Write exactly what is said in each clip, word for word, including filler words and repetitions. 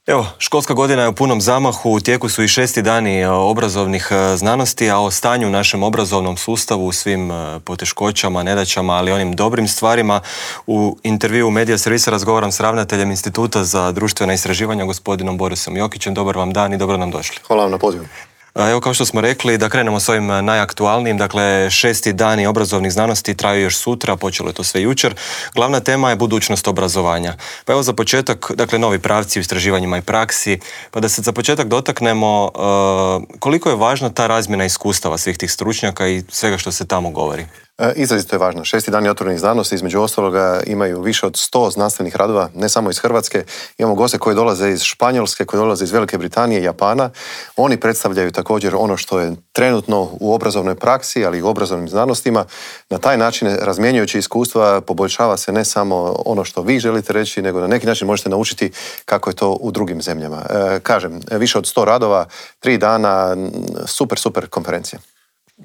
Evo, školska godina je u punom zamahu, u tijeku su i šesti dani obrazovnih znanosti, a o stanju u našem obrazovnom sustavu, u svim poteškoćama, nedaćama, ali onim dobrim stvarima. U intervju Medija servisa razgovaram s ravnateljem Instituta za društvena istraživanja, gospodinom Borisom Jokićem. Dobar vam dan i dobro nam došli. Hvala vam na pozivu. Evo, kao što smo rekli, da krenemo s ovim najaktualnijim, dakle šesti dani obrazovnih znanosti traju još sutra, počelo je to sve jučer. Glavna tema je budućnost obrazovanja. Pa evo za početak, dakle novi pravci u istraživanjima i praksi, pa da se za početak dotaknemo uh, koliko je važna ta razmjena iskustava svih tih stručnjaka i svega što se tamo govori. Izrazito je važno. Šesti dani otvorenih znanosti, između ostaloga, imaju više od sto znanstvenih radova, ne samo iz Hrvatske. Imamo goste koji dolaze iz Španjolske, koji dolaze iz Velike Britanije i Japana. Oni predstavljaju također ono što je trenutno u obrazovnoj praksi, ali i u obrazovnim znanostima. Na taj način, razmjenjujući iskustva, poboljšava se ne samo ono što vi želite reći, nego na neki način možete naučiti kako je to u drugim zemljama. E, kažem, više od sto radova, tri dana, super, super konferencija.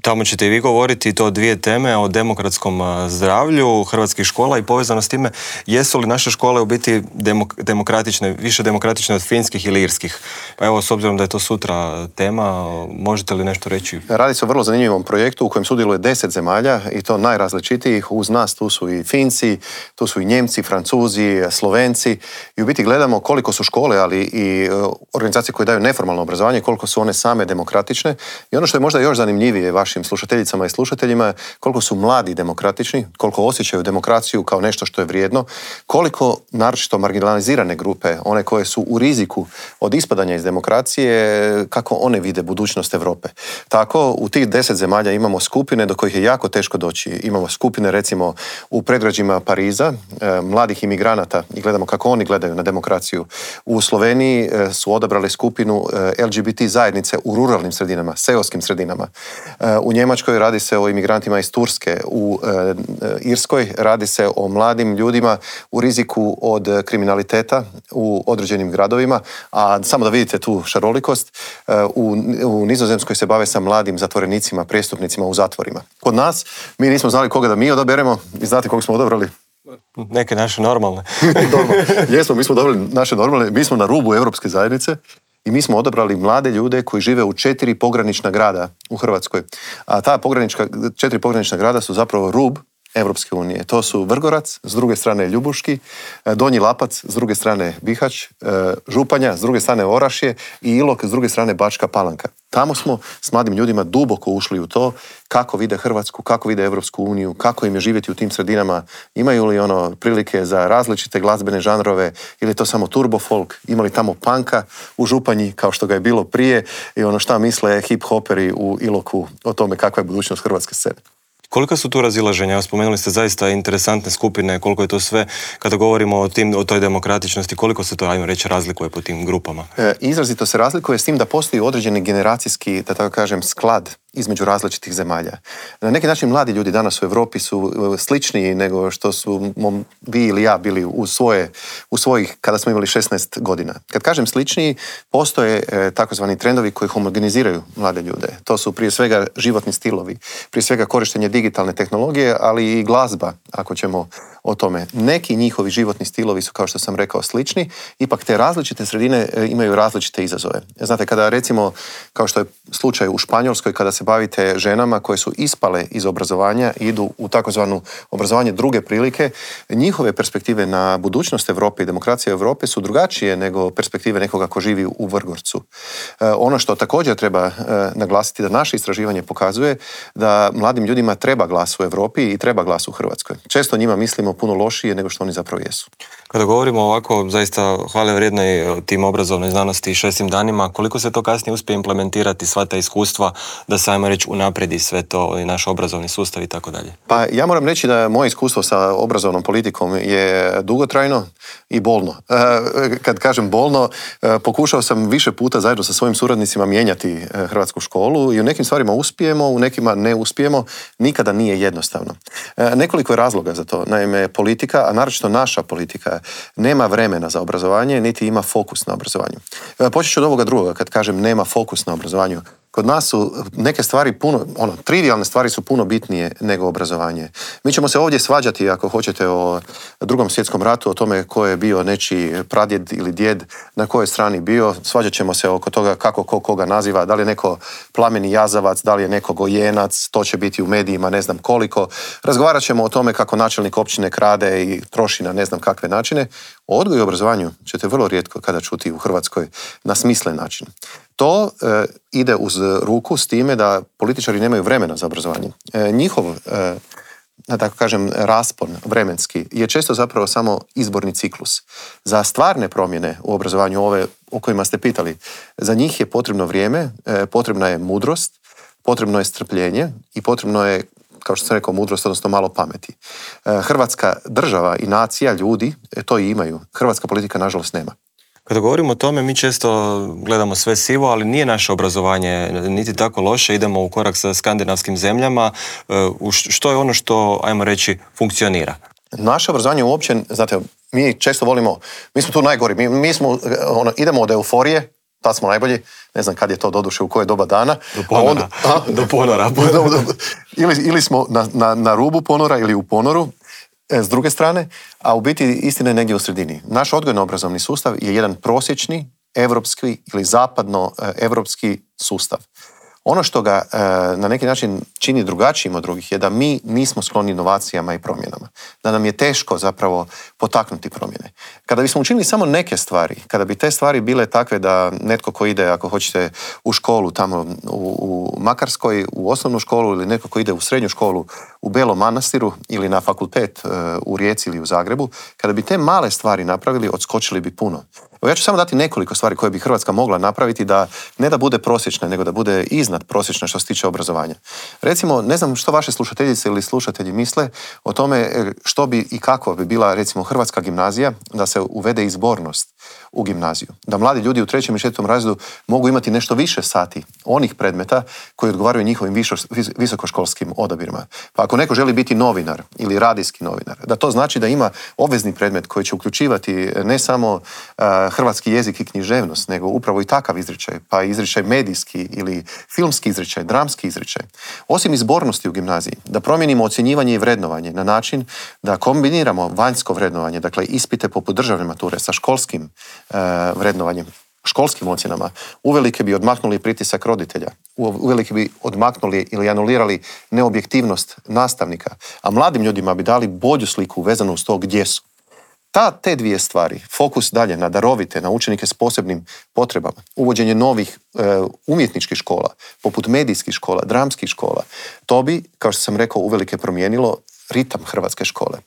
Tamo ćete i vi govoriti to dvije teme o demokratskom zdravlju hrvatskih škola i povezano s time, jesu li naše škole u biti demok- demokratične, više demokratične od finskih ili irskih? Pa evo, s obzirom da je to sutra tema, možete li nešto reći? Radi se o vrlo zanimljivom projektu u kojem sudjeluje deset zemalja i to najrazličitijih. Uz nas tu su i Finci, tu su i Njemci, Francuzi, Slovenci i u biti gledamo koliko su škole, ali i organizacije koje daju neformalno obrazovanje, koliko su one same demokratične. I ono što je možda još zanimljivije vašim slušateljicama i slušateljima, koliko su mladi demokratični, koliko osjećaju demokraciju kao nešto što je vrijedno, koliko naročito marginalizirane grupe, one koje su u riziku od ispadanja iz demokracije, kako one vide budućnost Europe. Tako, u tih deset zemalja imamo skupine do kojih je jako teško doći. Imamo skupine, recimo, u predgrađima Pariza, eh, mladih imigranata i gledamo kako oni gledaju na demokraciju. U Sloveniji eh, su odabrali skupinu eh, L G B T zajednice u ruralnim sredinama, seoskim sredinama. Eh, U Njemačkoj radi se o imigrantima iz Turske, u e, Irskoj radi se o mladim ljudima u riziku od kriminaliteta u određenim gradovima, a samo da vidite tu šarolikost, e, u, u Nizozemskoj se bave sa mladim zatvorenicima, prijestupnicima u zatvorima. Kod nas, mi nismo znali koga da mi odaberemo i znate koga smo odabrali? Neke naše normalne. Dobro, jesmo, mi smo odabrali naše normalne, mi smo na rubu Europske zajednice. I mi smo odabrali mlade ljude koji žive u četiri pogranična grada u Hrvatskoj. A ta pogranička, četiri pogranična grada su zapravo rub Europske unije. To su Vrgorac, s druge strane Ljubuški, Donji Lapac, s druge strane Bihać, Županja, s druge strane Orašje i Ilok, s druge strane Bačka Palanka. Tamo smo s mladim ljudima duboko ušli u to kako vide Hrvatsku, kako vide Europsku uniju, kako im je živjeti u tim sredinama, imaju li ono prilike za različite glazbene žanrove ili je to samo turbo folk, imali tamo panka u Županji kao što ga je bilo prije i ono šta misle hip-hoperi u Iloku o tome kakva je budućnost hrvatske scene. Koliko su tu razilaženja? Spomenuli ste zaista interesantne skupine, koliko je to sve, kada govorimo o, tim, o toj demokratičnosti, koliko se to, ajmo reći, razlikuje po tim grupama? E, izrazito se razlikuje s tim da postoji određeni generacijski, da tako kažem, sklad između različitih zemalja. Na neki način mladi ljudi danas u Europi su sličniji nego što su mom, vi ili ja bili u, svoje, u svojih, kada smo imali šesnaest godina. Kad kažem sličniji, postoje e, takozvani trendovi koji homogeniziraju mlade ljude. To su prije svega životni stilovi, prije svega korištenje digitalne tehnologije, ali i glazba, ako ćemo o tome. Neki njihovi životni stilovi su, kao što sam rekao, slični, ipak te različite sredine imaju različite izazove. Znate, kada recimo, kao što je slučaj u Španjolskoj, kada se bavite ženama koje su ispale iz obrazovanja i idu u takozvanu obrazovanje druge prilike, njihove perspektive na budućnost Europe i demokracije Europe su drugačije nego perspektive nekoga ko živi u Vrgorcu. E, ono što također treba e, naglasiti da naše istraživanje pokazuje da mladim ljudima treba glas u Europi i treba glas u Hrvatskoj. Često njima mislimo puno lošije nego što oni zapravo jesu. Kada govorimo ovako zaista hvale vrijednoj tim obrazovnoj znanosti i šestim danima, koliko se to kasnije uspije implementirati sva ta iskustva da se, ajmo reći, unapredi sve to i naš obrazovni sustav i tako dalje? Pa ja moram reći da moje iskustvo sa obrazovnom politikom je dugotrajno i bolno. Kad kažem bolno, pokušao sam više puta zajedno sa svojim suradnicima mijenjati hrvatsku školu i u nekim stvarima uspijemo, u nekima ne uspijemo, nikada nije jednostavno. Nekoliko je razloga za to. Naime, politika, a naročito naša politika, nema vremena za obrazovanje, niti ima fokus na obrazovanju. Počet ću od ovoga drugoga, kad kažem nema fokus na obrazovanju. Kod nas su neke stvari puno, ono, trivialne stvari su puno bitnije nego obrazovanje. Mi ćemo se ovdje svađati, ako hoćete, o Drugom svjetskom ratu, o tome ko je bio nečiji pradjed ili djed, na kojoj strani bio. Svađat ćemo se oko toga kako ko koga naziva, da li je neko plameni jazavac, da li je neko gojenac, to će biti u medijima, ne znam koliko. Razgovarat ćemo o tome kako načelnik općine krade i troši na ne znam kakve načine. O odgoju i obrazovanju ćete vrlo rijetko kada čuti u Hrvatskoj na smislen način. To e, ide uz ruku s time da političari nemaju vremena za obrazovanje. E, njihov, e, da tako kažem, raspon vremenski je često zapravo samo izborni ciklus. Za stvarne promjene u obrazovanju, ove o kojima ste pitali, za njih je potrebno vrijeme, e, potrebna je mudrost, potrebno je strpljenje i potrebno je, kao što sam rekao, mudrost, odnosno malo pameti. E, Hrvatska država i nacija, ljudi, e, to i imaju. Hrvatska politika, nažalost, nema. Kada govorimo o tome, mi često gledamo sve sivo, ali nije naše obrazovanje niti tako loše. Idemo u korak sa skandinavskim zemljama. Što je ono što, ajmo reći, funkcionira? Naše obrazovanje uopće, znate, mi često volimo, mi smo tu najgori, mi, mi smo, ono, idemo od euforije, tad smo najbolji, ne znam kad je to doduše, u koje doba dana. Do ponora. Onda, do ponora. ili, ili smo na, na, na rubu ponora ili u ponoru, s druge strane, a u biti istina je negdje u sredini. Naš odgojno-obrazovni sustav je jedan prosječni, evropski ili zapadno-evropski sustav. Ono što ga e, na neki način čini drugačijim od drugih je da mi nismo skloni inovacijama i promjenama. Da nam je teško zapravo potaknuti promjene. Kada bismo učinili samo neke stvari, kada bi te stvari bile takve da netko ko ide, ako hoćete, u školu tamo u, u Makarskoj, u osnovnu školu, ili netko ko ide u srednju školu u Belom Manastiru ili na fakultet e, u Rijeci ili u Zagrebu, kada bi te male stvari napravili, odskočili bi puno. Ja ću samo dati nekoliko stvari koje bi Hrvatska mogla napraviti, da ne da bude prosječna, nego da bude iznad prosječna što se tiče obrazovanja. Recimo, ne znam što vaše slušateljice ili slušatelji misle o tome što bi i kako bi bila, recimo, hrvatska gimnazija, da se uvede izbornost u gimnaziju. Da mladi ljudi u trećem i četvrtom razredu mogu imati nešto više sati onih predmeta koji odgovaraju njihovim višo, visokoškolskim odabirima. Pa ako neko želi biti novinar ili radijski novinar, da to znači da ima obvezni predmet koji će uključivati ne samo uh, hrvatski jezik i književnost, nego upravo i takav izričaj, pa izričaj medijski ili filmski izričaj, dramski izričaj. Osim izbornosti u gimnaziji, da promijenimo ocjenjivanje i vrednovanje na način da kombiniramo vanjsko vrednovanje, dakle ispite poput državne mature sa školskim uh, vrednovanjem, školskim ocjenama, uvelike bi odmaknuli pritisak roditelja, uvelike bi odmaknuli ili anulirali neobjektivnost nastavnika, a mladim ljudima bi dali bolju sliku vezanu uz to gdje su. Ta, te dvije stvari, fokus dalje na darovite, na učenike s posebnim potrebama, uvođenje novih e, umjetničkih škola, poput medijskih škola, dramskih škola, to bi, kao što sam rekao, uvelike promijenilo ritam hrvatske škole.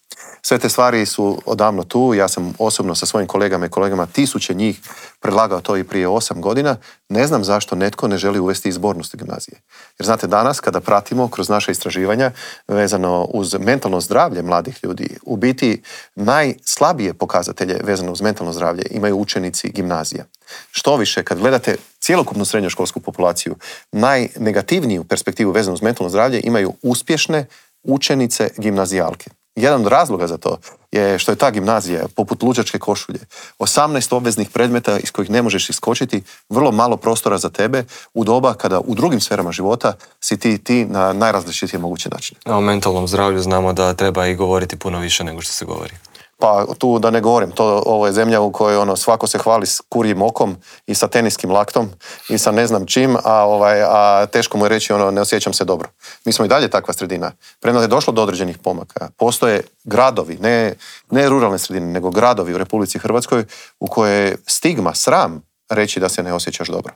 Sve te stvari su odavno tu, ja sam osobno sa svojim kolegama i kolegama, tisuće njih, predlagao to i prije osam godina. Ne znam zašto netko ne želi uvesti izbornost u gimnazije. Jer znate, danas kada pratimo kroz naše istraživanja vezano uz mentalno zdravlje mladih ljudi, u biti najslabije pokazatelje vezano uz mentalno zdravlje imaju učenici gimnazija. Što više, kad gledate cjelokupnu srednjoškolsku populaciju, najnegativniju perspektivu vezanu uz mentalno zdravlje imaju uspješne učenice gimnazijalke. Jedan od razloga za to je što je ta gimnazija, poput luđačke košulje, osamnaest obveznih predmeta iz kojih ne možeš iskočiti, vrlo malo prostora za tebe u doba kada u drugim sferama života si ti, ti na najrazličitije moguće načine. A o mentalnom zdravlju znamo da treba i govoriti puno više nego što se govori. Pa tu da ne govorim, to, ovo je zemlja u kojoj ono, svako se hvali s kurjim okom i sa teniskim laktom i sa ne znam čim, a, ovaj, a teško mu je reći ono, ne osjećam se dobro. Mi smo i dalje takva sredina. Premda je došlo do određenih pomaka. Postoje gradovi, ne, ne ruralne sredine, nego gradovi u Republici Hrvatskoj u koje je stigma, sram reći da se ne osjećaš dobro.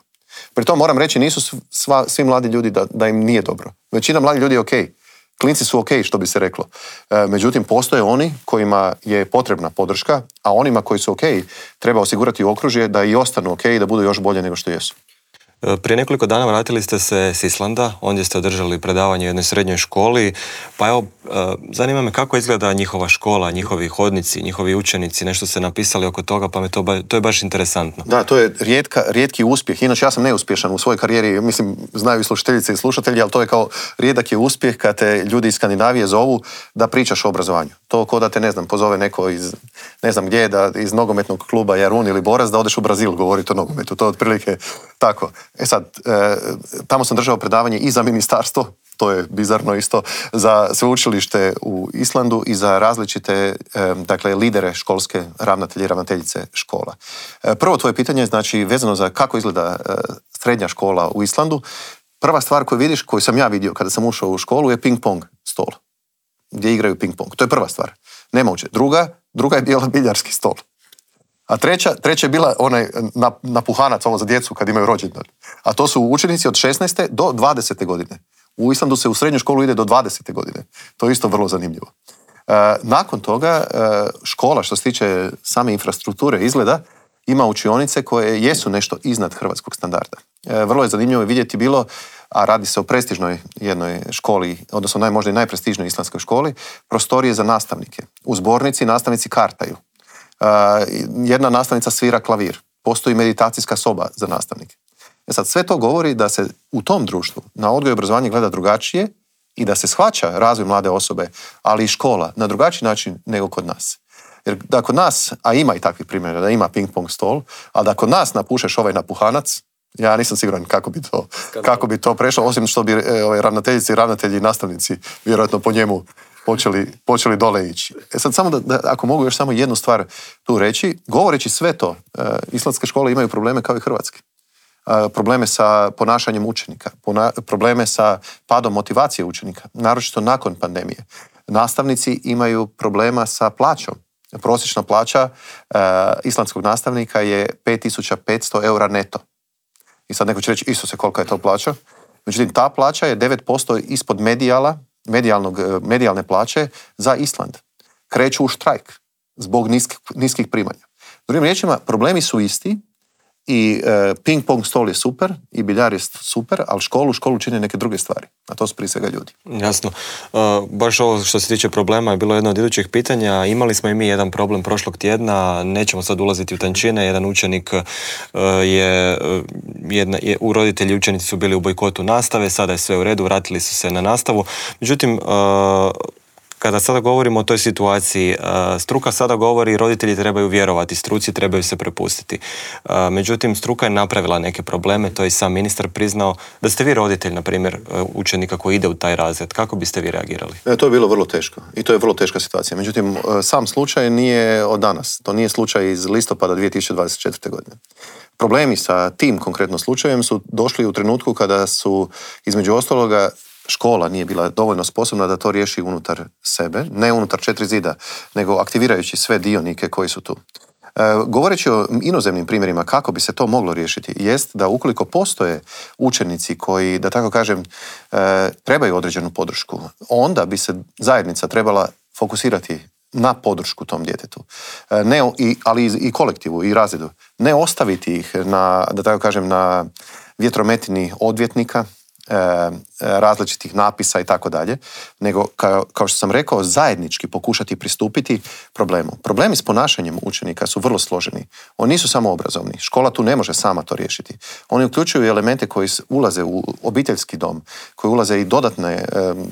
Pri tom moram reći, nisu sva, svi mladi ljudi da, da im nije dobro. Većina mladih ljudi je okej. Okay. Klinci su ok, što bi se reklo. E, međutim, postoje oni kojima je potrebna podrška, a onima koji su ok treba osigurati okružje da i ostanu ok i da budu još bolje nego što jesu. Prije nekoliko dana vratili ste se s Islanda, ondje ste održali predavanje u jednoj srednjoj školi, pa evo, zanima me kako izgleda njihova škola, njihovi hodnici, njihovi učenici, nešto ste napisali oko toga, pa me to, ba, to je baš interesantno. Da, to je rijetka, rijetki uspjeh, inače ja sam neuspješan u svojoj karijeri, mislim, znaju i slušateljice i slušatelji, ali to je kao rijedak je uspjeh kad te ljudi iz Skandinavije zovu da pričaš o obrazovanju. To ko da te, ne znam, pozove neko iz, ne znam gdje, da iz nogometnog kluba Jarun ili Boras, da odeš u Brazil govoriti o nogometu. To je otprilike tako. E sad, e, tamo sam držao predavanje i za ministarstvo, to je bizarno isto, za sveučilište u Islandu i za različite, e, dakle, lidere školske, ravnatelje i ravnateljice škola. E, prvo tvoje pitanje je, znači, vezano za kako izgleda e, srednja škola u Islandu. Prva stvar koju vidiš, koju sam ja vidio kada sam ušao u školu, je ping-pong stol, gdje igraju ping-pong. To je prva stvar. Nema uče. Druga, druga je bila biljarski stol. A treća, treća je bila onaj napuhanac, ovo za djecu kad imaju rođendan. A to su učenici od šesnaeste do dvadesete godine. U Islandu se u srednju školu ide do dvadesete godine. To je isto vrlo zanimljivo. E, nakon toga, e, škola, što se tiče same infrastrukture, izgleda, ima učionice koje jesu nešto iznad hrvatskog standarda. E, vrlo je zanimljivo vidjeti bilo, a radi se o prestižnoj jednoj školi, odnosno naj, možda i najprestižnoj islandskoj školi, prostorije za nastavnike. U zbornici nastavnici kartaju. E, jedna nastavnica svira klavir. Postoji meditacijska soba za nastavnike. E sad, sve to govori da se u tom društvu na odgoj i obrazovanje gleda drugačije i da se shvaća razvoj mlade osobe, ali i škola, na drugačiji način nego kod nas. Jer da kod nas, a ima i takvih primjera, da ima ping-pong stol, ali da kod nas napušeš ovaj napuhanac, ja nisam siguran kako bi to, kako bi to prešlo, osim što bi e, ovaj, ravnateljice i ravnatelji i nastavnici vjerojatno po njemu počeli, počeli dole ići. E sad, samo da, da, ako mogu još samo jednu stvar tu reći, govoreći sve to, e, islandske škole imaju probleme kao i hrvatske. Probleme sa ponašanjem učenika, probleme sa padom motivacije učenika, naročito nakon pandemije. Nastavnici imaju problema sa plaćom. Prosječna plaća uh, islandskog nastavnika je pet tisuća petsto eura neto. I sad neko će reći, Isuse, kolika je to plaća? Međutim, ta plaća je devet posto ispod medijala, medijalnog, medijalne plaće za Island. Kreću u štrajk zbog niskih, niskih primanja. Drugim riječima, problemi su isti. I e, ping-pong stol je super, i biljar je super, ali školu, školu čine neke druge stvari. A to su prije svega ljudi. Jasno. E, baš ovo što se tiče problema je bilo jedno od idućih pitanja. Imali smo i mi jedan problem prošlog tjedna, nećemo sad ulaziti u tančine. Jedan učenik e, je, jedna, je, u roditelji učenici su bili u bojkotu nastave, sada je sve u redu, vratili su se na nastavu. Međutim, e, kada sada govorimo o toj situaciji, struka sada govori roditelji trebaju vjerovati, struci trebaju se prepustiti. Međutim, struka je napravila neke probleme, to je i sam ministar priznao. Da ste vi roditelj, na primjer, učenika koji ide u taj razred, kako biste vi reagirali? E, to je bilo vrlo teško i to je vrlo teška situacija. Međutim, sam slučaj nije od danas. To nije slučaj iz listopada dvije tisuće dvadeset četvrte. godine. Problemi sa tim konkretno slučajem su došli u trenutku kada su, između ostaloga, škola nije bila dovoljno sposobna da to riješi unutar sebe, ne unutar četiri zida, nego aktivirajući sve dionike koji su tu. E, govoreći o inozemnim primjerima kako bi se to moglo riješiti, jest da ukoliko postoje učenici koji, da tako kažem, e, trebaju određenu podršku, onda bi se zajednica trebala fokusirati na podršku tom djetetu, e, ne, i, ali i, i kolektivu i razredu. Ne ostaviti ih na, da tako kažem, na vjetrometini odvjetnika, različitih napisa i tako dalje, nego kao, kao što sam rekao, zajednički pokušati pristupiti problemu. Problemi s ponašanjem učenika su vrlo složeni. Oni nisu samo obrazovni. Škola tu ne može sama to riješiti. Oni uključuju elemente koji ulaze u obiteljski dom, koji ulaze i dodatne,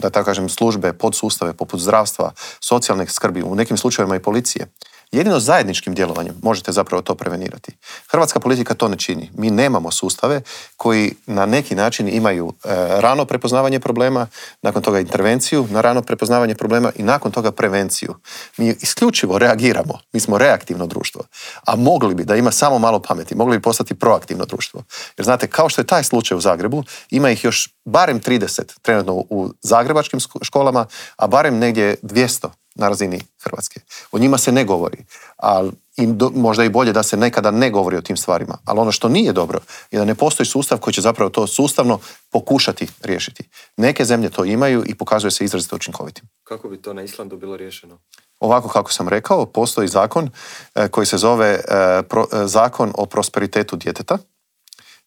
da tako kažem, službe, podsustave poput zdravstva, socijalne skrbi, u nekim slučajevima i policije. Jedino zajedničkim djelovanjem možete zapravo to prevenirati. Hrvatska politika to ne čini. Mi nemamo sustave koji na neki način imaju e, rano prepoznavanje problema, nakon toga intervenciju na rano prepoznavanje problema i nakon toga prevenciju. Mi isključivo reagiramo. Mi smo reaktivno društvo. A mogli bi, da ima samo malo pameti, mogli bi postati proaktivno društvo. Jer znate, kao što je taj slučaj u Zagrebu, ima ih još barem trideset trenutno u zagrebačkim školama, a barem negdje dvjesto na razini Hrvatske. O njima se ne govori, ali i do, možda i bolje da se nekada ne govori o tim stvarima. Ali ono što nije dobro je da ne postoji sustav koji će zapravo to sustavno pokušati riješiti. Neke zemlje to imaju i pokazuje se izrazito učinkovitim. Kako bi to na Islandu bilo riješeno? Ovako kako sam rekao, postoji zakon e, koji se zove e, pro, e, Zakon o prosperitetu djeteta,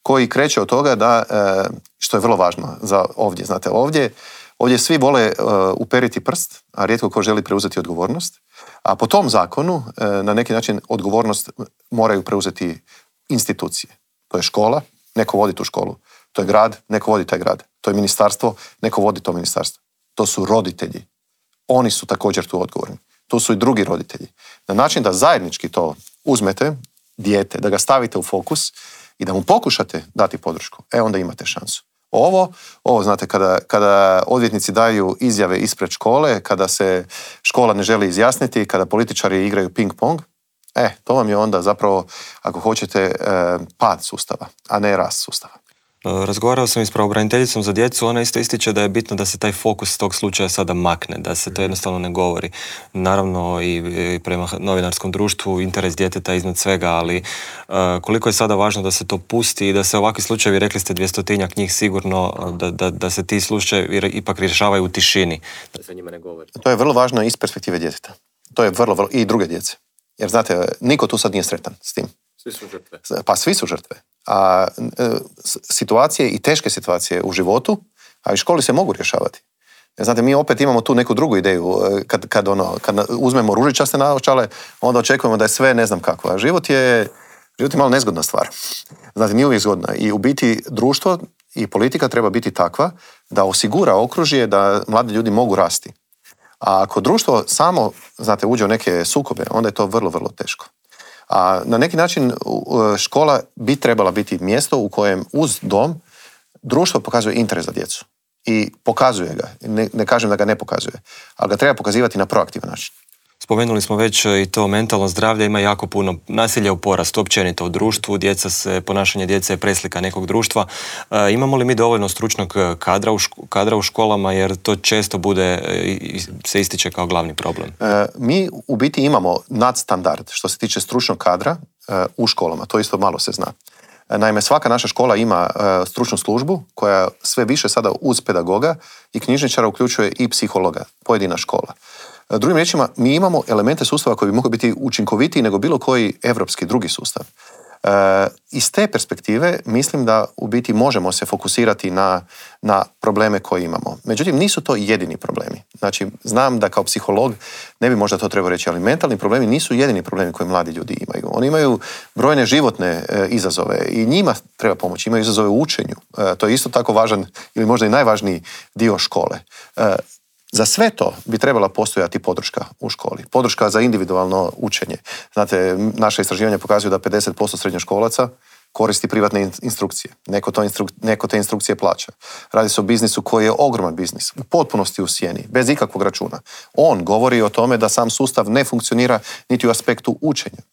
koji kreće od toga da, e, što je vrlo važno za ovdje, znate, ovdje Ovdje svi vole uh, uperiti prst, a rijetko ko želi preuzeti odgovornost. A po tom zakonu, uh, na neki način, odgovornost moraju preuzeti institucije. To je škola, neko vodi tu školu. To je grad, neko vodi taj grad. To je ministarstvo, neko vodi to ministarstvo. To su roditelji. Oni su također tu odgovorni. tu su i drugi roditelji. Na način da zajednički to uzmete, dijete, da ga stavite u fokus i da mu pokušate dati podršku, e onda imate šansu. Ovo, ovo znate, kada, kada odvjetnici daju izjave ispred škole, kada se škola ne želi izjasniti, kada političari igraju ping-pong, e, to vam je onda zapravo, ako hoćete, e, pad sustava, a ne rast sustava. Razgovarao sam i s pravobraniteljicom za djecu, ona isto ističe da je bitno da se taj fokus tog slučaja sada makne, da se to jednostavno ne govori. Naravno i, i prema novinarskom društvu interes djeteta iznad svega, ali uh, koliko je sada važno da se to pusti i da se ovakvi slučajevi, rekli ste dvjestotinjak njih sigurno, da, da, da se ti slučajevi ipak rješavaju u tišini, da se njima ne govori. To je vrlo važno iz perspektive djeteta. To je vrlo, vrlo, i druge djece. Jer znate, niko tu sad nije sretan s tim. Svi su žrtve. Pa svi su žrtve. A e, situacije i teške situacije u životu, a i školi se mogu rješavati. Znate, mi opet imamo tu neku drugu ideju. Kad, kad, ono, kad uzmemo ružičaste naočale, onda očekujemo da je sve ne znam kako. A život je, život je malo nezgodna stvar. Znate, nije uvijek zgodna. I u biti društvo i politika treba biti takva da osigura okružje da mladi ljudi mogu rasti. A ako društvo samo, znate, uđe u neke sukobe, onda je to vrlo, vrlo teško. A na neki način škola bi trebala biti mjesto u kojem uz dom društvo pokazuje interes za djecu. I pokazuje ga. Ne, ne kažem da ga ne pokazuje, ali ga treba pokazivati na proaktivan način. Spomenuli smo već i to mentalno zdravlje, ima jako puno nasilja u porastu, općenito u društvu, djeca se, ponašanje djece je preslika nekog društva. E, imamo li mi dovoljno stručnog kadra u, ško, kadra u školama, jer to često bude, se ističe kao glavni problem? E, mi u biti imamo nadstandard što se tiče stručnog kadra e, u školama, to isto malo se zna. E, naime, svaka naša škola ima e, stručnu službu koja sve više sada uz pedagoga i knjižničara uključuje i psihologa, pojedina škola. Drugim riječima, mi imamo elemente sustava koji bi mogli biti učinkovitiji nego bilo koji evropski drugi sustav. E, iz te perspektive mislim da u biti možemo se fokusirati na, na probleme koje imamo. Međutim, nisu to jedini problemi. Znači, znam da kao psiholog ne bi možda to trebao reći, ali mentalni problemi nisu jedini problemi koje mladi ljudi imaju. Oni imaju brojne životne e, izazove i njima treba pomoći. Imaju izazove u učenju. E, to je isto tako važan ili možda i najvažniji dio škole. E, Za sve to bi trebala postojati podrška u školi. Podrška za individualno učenje. Znate, naše istraživanja pokazuju da pedeset posto srednjoškolaca koristi privatne instrukcije. Neko, to instru, neko te instrukcije plaća. Radi se o biznisu koji je ogroman biznis, u potpunosti u sjeni, bez ikakvog računa. On govori o tome da sam sustav ne funkcionira niti u aspektu učenja.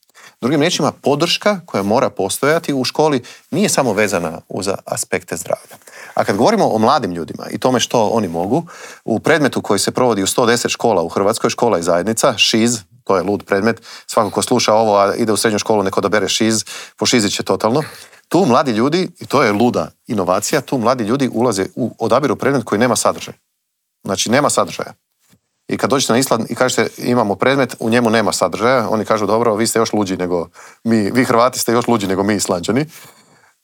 Drugim riječima, podrška koja mora postojati u školi nije samo vezana uz aspekte zdravlja. A kad govorimo o mladim ljudima i tome što oni mogu, u predmetu koji se provodi u sto deset škola u Hrvatskoj, škola i zajednica, šiz, to je lud predmet, svako ko sluša ovo, a ide u srednju školu, neko odabere šiz, pošizit će totalno. Tu mladi ljudi, i to je luda inovacija, tu mladi ljudi ulaze u odabiru predmet koji nema sadržaj. Znači, nema sadržaja. I kad dođete na Island i kažete imamo predmet, u njemu nema sadržaja, oni kažu dobro, vi ste još luđi nego mi, vi Hrvati ste još luđi nego mi Islanđani.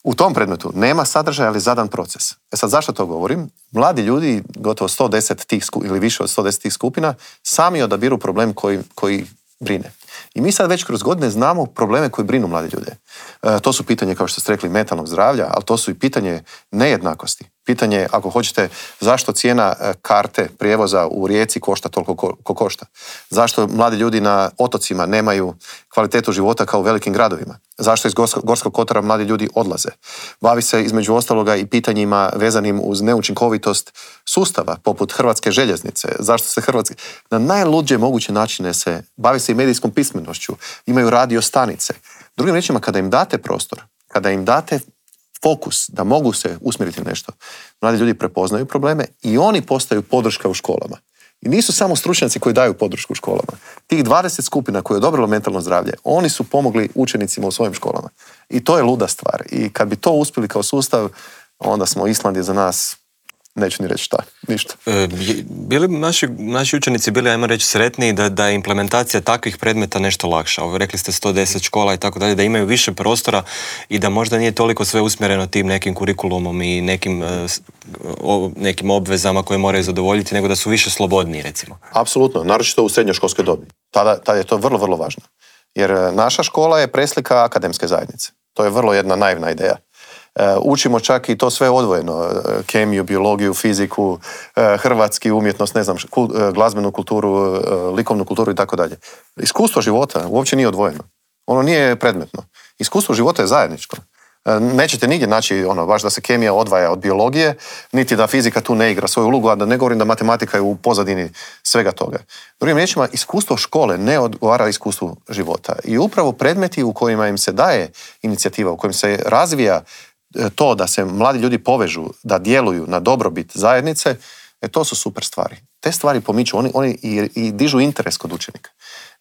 U tom predmetu nema sadržaja, ali zadan proces. E sad, zašto to govorim? Mladi ljudi, gotovo sto deset tih ili više od sto deset tih skupina, sami odabiru problem koji, koji brine. I mi sad već kroz godine znamo probleme koji brinu mlade ljude. E, to su pitanje, kao što ste rekli, mentalnog zdravlja, ali to su i pitanje nejednakosti. Pitanje, ako hoćete, zašto cijena karte prijevoza u Rijeci košta toliko ko, ko košta? Zašto mladi ljudi na otocima nemaju kvalitetu života kao u velikim gradovima? Zašto iz Gorskog kotara mladi ljudi odlaze? Bavi se između ostaloga i pitanjima vezanim uz neučinkovitost sustava, poput Hrvatske željeznice. Zašto se Hrvatske... Na najluđe moguće načine se bavi se i medijskom pismenošću. Imaju radio stanice. Drugim riječima, kada im date prostor, kada im date fokus da mogu se usmjeriti na nešto, mladi ljudi prepoznaju probleme i oni postaju podrška u školama. I nisu samo stručnjaci koji daju podršku u školama. Tih dvadeset skupina koje je odobrilo mentalno zdravlje, oni su pomogli učenicima u svojim školama. I to je luda stvar. I kad bi to uspjeli kao sustav, onda smo Island je za nas, neću ni reći šta, ništa. E, bili naši, naši učenici bili, ajmo reći, sretniji da, da je implementacija takvih predmeta nešto lakša? Ovo, rekli ste sto deset škola i tako dalje, da imaju više prostora i da možda nije toliko sve usmjereno tim nekim kurikulumom i nekim, o, nekim obvezama koje moraju zadovoljiti, nego da su više slobodniji, recimo. Apsolutno, naročito u srednjoškolskoj dobi. Tada, tada je to vrlo, vrlo važno. Jer naša škola je preslika akademske zajednice. To je vrlo jedna naivna ideja. Učimo čak i to sve odvojeno, kemiju, biologiju, fiziku, hrvatski, umjetnost, ne znam, glazbenu kulturu, likovnu kulturu i tako dalje. Iskustvo života uopće nije odvojeno. Ono nije predmetno. Iskustvo života je zajedničko. Nećete nigdje naći ono, baš da se kemija odvaja od biologije, niti da fizika tu ne igra svoju ulogu, a da ne govorim da matematika je u pozadini svega toga. Drugim riječima, iskustvo škole ne odgovara iskustvu života. I upravo predmeti u kojima im se daje inicijativa, u kojim se razvija to da se mladi ljudi povežu, da djeluju na dobrobit zajednice, e, to su super stvari. Te stvari pomiču, oni, oni i, i dižu interes kod učenika.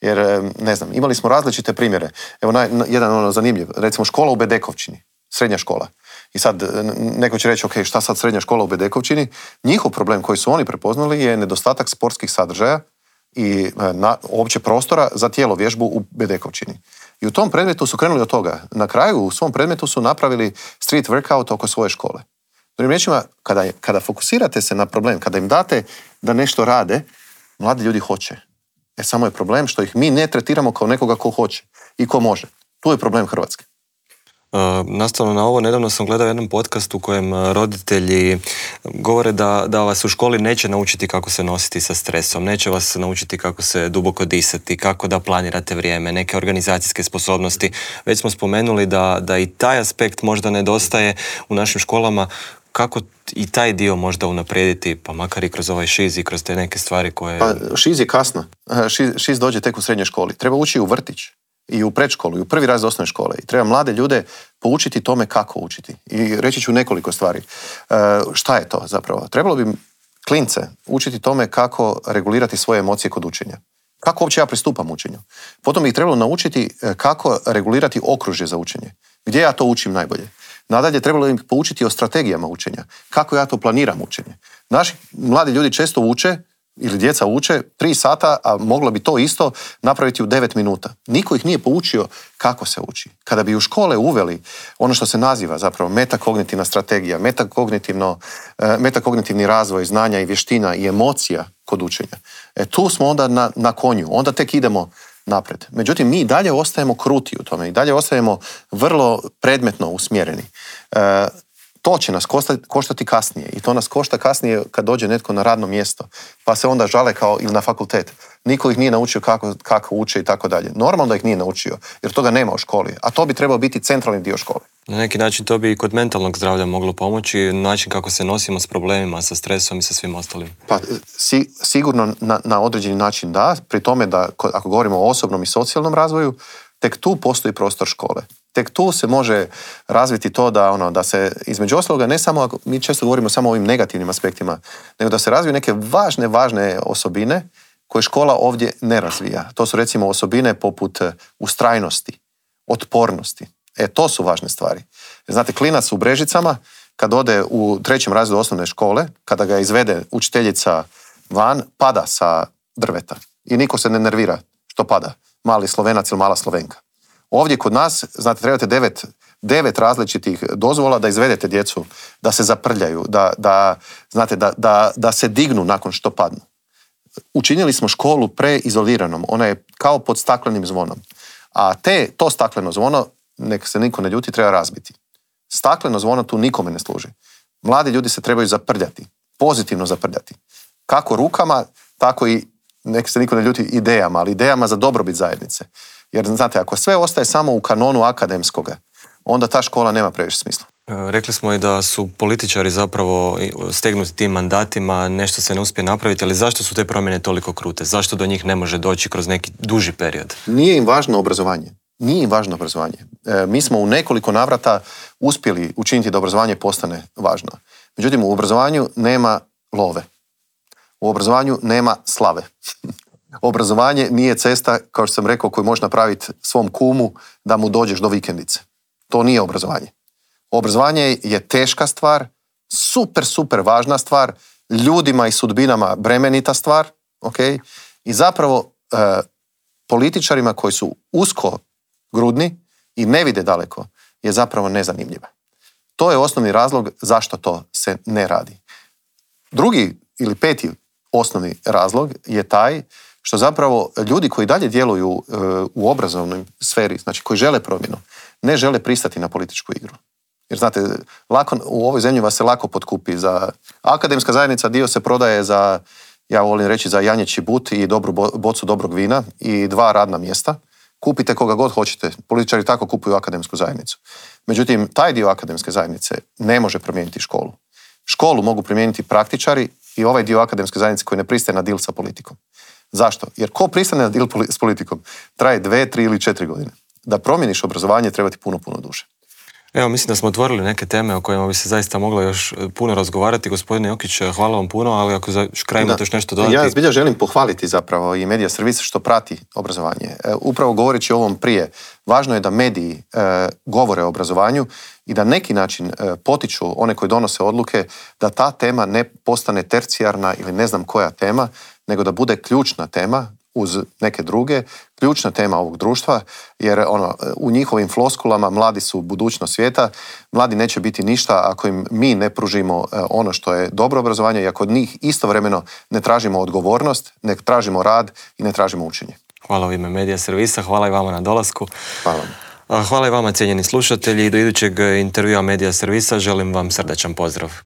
Jer, ne znam, imali smo različite primjere. Evo, naj, jedan ono zanimljiv, recimo škola u Bedekovčini, srednja škola. I sad neko će reći, ok, šta sad srednja škola u Bedekovčini? Njihov problem koji su oni prepoznali je nedostatak sportskih sadržaja i na, uopće prostora za tijelo vježbu u Bedekovčini. I u tom predmetu su krenuli od toga. Na kraju u svom predmetu su napravili street workout oko svoje škole. Drugim riječima, kada, kada fokusirate se na problem, kada im date da nešto rade, mladi ljudi hoće. E samo je problem što ih mi ne tretiramo kao nekoga ko hoće i ko može. Tu je problem Hrvatske. Uh, nastavno na ovo, nedavno sam gledao jedan podcast u kojem roditelji govore da, da vas u školi neće naučiti kako se nositi sa stresom, neće vas naučiti kako se duboko disati, kako da planirate vrijeme, neke organizacijske sposobnosti. Već smo spomenuli da, da i taj aspekt možda nedostaje u našim školama. Kako i taj dio možda unaprijediti, pa makar i kroz ovaj šiz i kroz te neke stvari koje... Pa šiz je kasno. Šiz, šiz dođe tek u srednjoj školi. Treba ući u vrtić i u predškolu i u prvi razred osnovne škole. I treba mlade ljude poučiti tome kako učiti. I reći ću nekoliko stvari. E, šta je to zapravo? Trebalo bi klince učiti tome kako regulirati svoje emocije kod učenja. Kako uopće ja pristupam učenju. Potom ih trebalo naučiti kako regulirati okružje za učenje. Gdje ja to učim najbolje. Nadalje, trebalo im poučiti o strategijama učenja. Kako ja to planiram učenje. Naši mladi ljudi često uče, ili djeca uče, tri sata, a moglo bi to isto napraviti u devet minuta. Niko ih nije poučio kako se uči. Kada bi u škole uveli ono što se naziva zapravo metakognitivna strategija, metakognitivno, metakognitivni razvoj znanja i vještina i emocija kod učenja, e, tu smo onda na, na konju. Onda tek idemo napred. Međutim, mi i dalje ostajemo kruti u tome i dalje ostajemo vrlo predmetno usmjereni. E, to će nas koštati, koštati kasnije i to nas košta kasnije kad dođe netko na radno mjesto, pa se onda žale kao ili na fakultet. Niko ih nije naučio kako, kako uče i tako dalje. Normalno da ih nije naučio, jer toga nema u školi, a to bi trebao biti centralni dio škole. Na neki način to bi i kod mentalnog zdravlja moglo pomoći, način kako se nosimo s problemima, sa stresom i sa svim ostalim. Pa si, sigurno na, na određeni način da, pri tome da ako govorimo o osobnom i socijalnom razvoju, tek tu postoji prostor škole. Tek tu se može razviti to da, ono, da se između ostaloga ne samo, ako mi često govorimo samo o ovim negativnim aspektima, nego da se razviju neke važne, važne osobine koje škola ovdje ne razvija. To su recimo osobine poput ustrajnosti, otpornosti. E, to su važne stvari. Znate, klinac u Brežicama, kad ode u trećem razredu osnovne škole, kada ga izvede učiteljica van, pada sa drveta. I niko se ne nervira što pada. Mali Slovenac ili mala Slovenka. Ovdje kod nas, znate, trebate devet, devet različitih dozvola da izvedete djecu, da se zaprljaju, da, da, znate, da, da, da se dignu nakon što padnu. Učinili smo školu preizoliranom. Ona je kao pod staklenim zvonom. A te, to stakleno zvono, nek se niko ne ljuti, treba razbiti. Stakleno zvono tu nikome ne služi. Mladi ljudi se trebaju zaprljati, pozitivno zaprljati. Kako rukama, tako i, nek se niko ne ljuti, idejama, ali idejama za dobrobit zajednice. Jer, znate, ako sve ostaje samo u kanonu akademskoga, onda ta škola nema previše smisla. Rekli smo i da su političari zapravo stegnuti tim mandatima, nešto se ne uspije napraviti, ali zašto su te promjene toliko krute? Zašto do njih ne može doći kroz neki duži period? Nije im važno obrazovanje. Nije im važno obrazovanje. E, mi smo u nekoliko navrata uspjeli učiniti da obrazovanje postane važno. Međutim, u obrazovanju nema love. U obrazovanju nema slave. Obrazovanje nije cesta, kao što sam rekao, koju možeš napraviti svom kumu da mu dođeš do vikendice. To nije obrazovanje. Obrazovanje je teška stvar, super, super važna stvar, ljudima i sudbinama bremenita stvar, okay? I zapravo e, političarima koji su usko grudni i ne vide daleko je zapravo nezanimljiva. To je osnovni razlog zašto to se ne radi. Drugi ili peti osnovni razlog je taj što zapravo ljudi koji dalje djeluju uh, u obrazovnoj sferi, znači koji žele promjenu, ne žele pristati na političku igru. Jer znate, lako, u ovoj zemlji vas se lako potkupi. Za akademska zajednica dio se prodaje za, ja volim reći, za janjeći but i dobru bocu dobrog vina i dva radna mjesta. Kupite koga god hoćete. Političari tako kupuju akademsku zajednicu. Međutim, taj dio akademske zajednice ne može promijeniti školu. Školu mogu promijeniti praktičari i ovaj dio akademske zajednice koji ne pristaje na dil sa politikom. Zašto? Jer ko pristane na dil s politikom traje dve, tri ili četiri godine. Da promijeniš obrazovanje treba ti puno, puno duže. Evo, mislim da smo otvorili neke teme o kojima bi se zaista moglo još puno razgovarati. Gospodine Jokić, hvala vam puno, ali ako za kraj imate još nešto dodati... Ja zbilja želim pohvaliti zapravo i Medija servis što prati obrazovanje. E, upravo govoreći o ovom prije, važno je da mediji e, govore o obrazovanju i da neki način e, potiču one koji donose odluke da ta tema ne postane tercijarna ili ne znam koja tema, nego da bude ključna tema uz neke druge, ključna tema ovog društva, jer ono, u njihovim floskulama mladi su budućnost svijeta, mladi neće biti ništa ako im mi ne pružimo ono što je dobro obrazovanje i ako od njih istovremeno ne tražimo odgovornost, ne tražimo rad i ne tražimo učenje. Hvala u ime Medija servisa, hvala i vama na dolasku. Hvala vam. Hvala i vama, cijenjeni slušatelji, i do idućeg intervjua Medija servisa želim vam srdačan pozdrav.